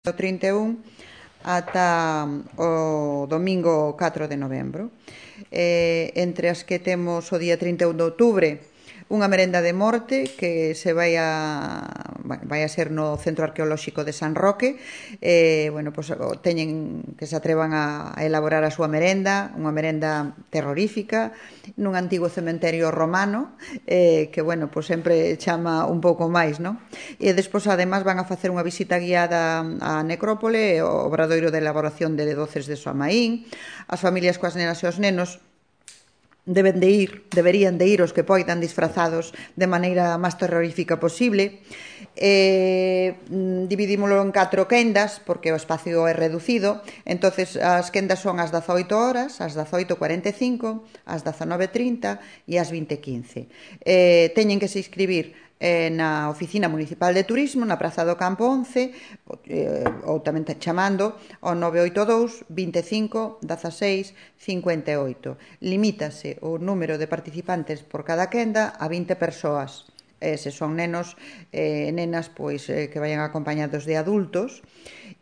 do 31 ata o domingo 4 de novembro. Entre as que temos o día 31 de outubro unha merenda de morte que se vai a ser no Centro Arqueolóxico de San Roque. Teñen que se atrevan a elaborar a súa merenda, unha merenda terrorífica nun antigo cementerio romano que, sempre chama un pouco máis, non? E despois, ademais, van a facer unha visita guiada á necrópole, ao obradoiro de elaboración de doces de Soamaín. As familias coas nenas e os nenos deberían de ir os que poidan disfrazados de maneira máis terrorífica posible. Dividímolo en 4 quendas porque o espacio é reducido. Entonces as quendas son as 18 horas, as 18:45, as 19:30 e as 20:15. Teñen que se inscribir na Oficina Municipal de Turismo, na Praza do Campo 11, ou tamén chamando ao 982 25 16 58. Limítase o número de participantes por cada quenda a 20 persoas. Se son nenos e nenas, que vayan acompañados de adultos,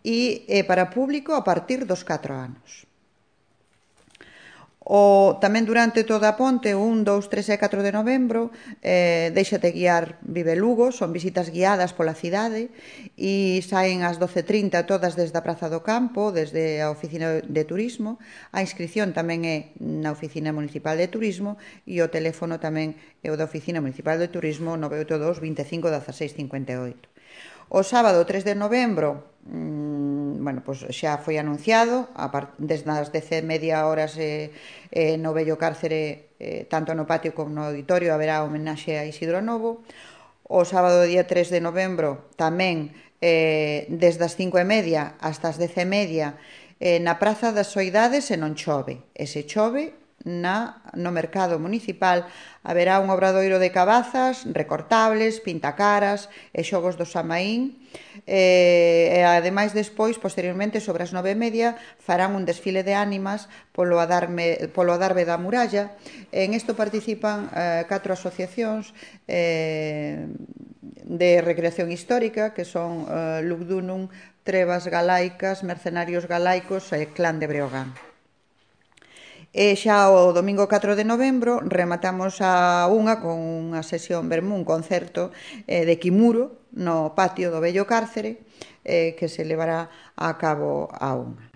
e para público a partir dos 4 anos. Tamén durante toda a ponte, 1, 2, 3 e 4 de novembro, Déixate guiar Vive Lugo, son visitas guiadas pola cidade e saen ás 12:30 todas desde a Praza do Campo, desde a Oficina de Turismo. A inscripción tamén é na Oficina Municipal de Turismo e o teléfono tamén é o da Oficina Municipal de Turismo 982 25 16 58. O sábado 3 de novembro xa foi anunciado, desde as 10:30 no Vello Cárcere, tanto no patio como no auditorio, haberá homenaxe a Isidro Novo. O sábado día 3 de novembro tamén desde as 5:30 hasta as 10:30 na Praza das Soidades, e non chove. E se chove, no mercado municipal haberá un obradoiro de cabazas, recortables, pintacaras e xogos do Soamaín. E ademais, despois, posteriormente, sobre as 9:30, farán un desfile de ánimas polo adarve da muralla. En isto participan 4 asociacións de recreación histórica, que son Lugdunum, Trevas Galaicas, Mercenarios Galaicos e Clan de Breogán. E xa o domingo 4 de novembro rematamos a unha con unha sesión vermú, un concerto de Kimuro no patio do Vello Cárcere, que se levará a cabo a unha.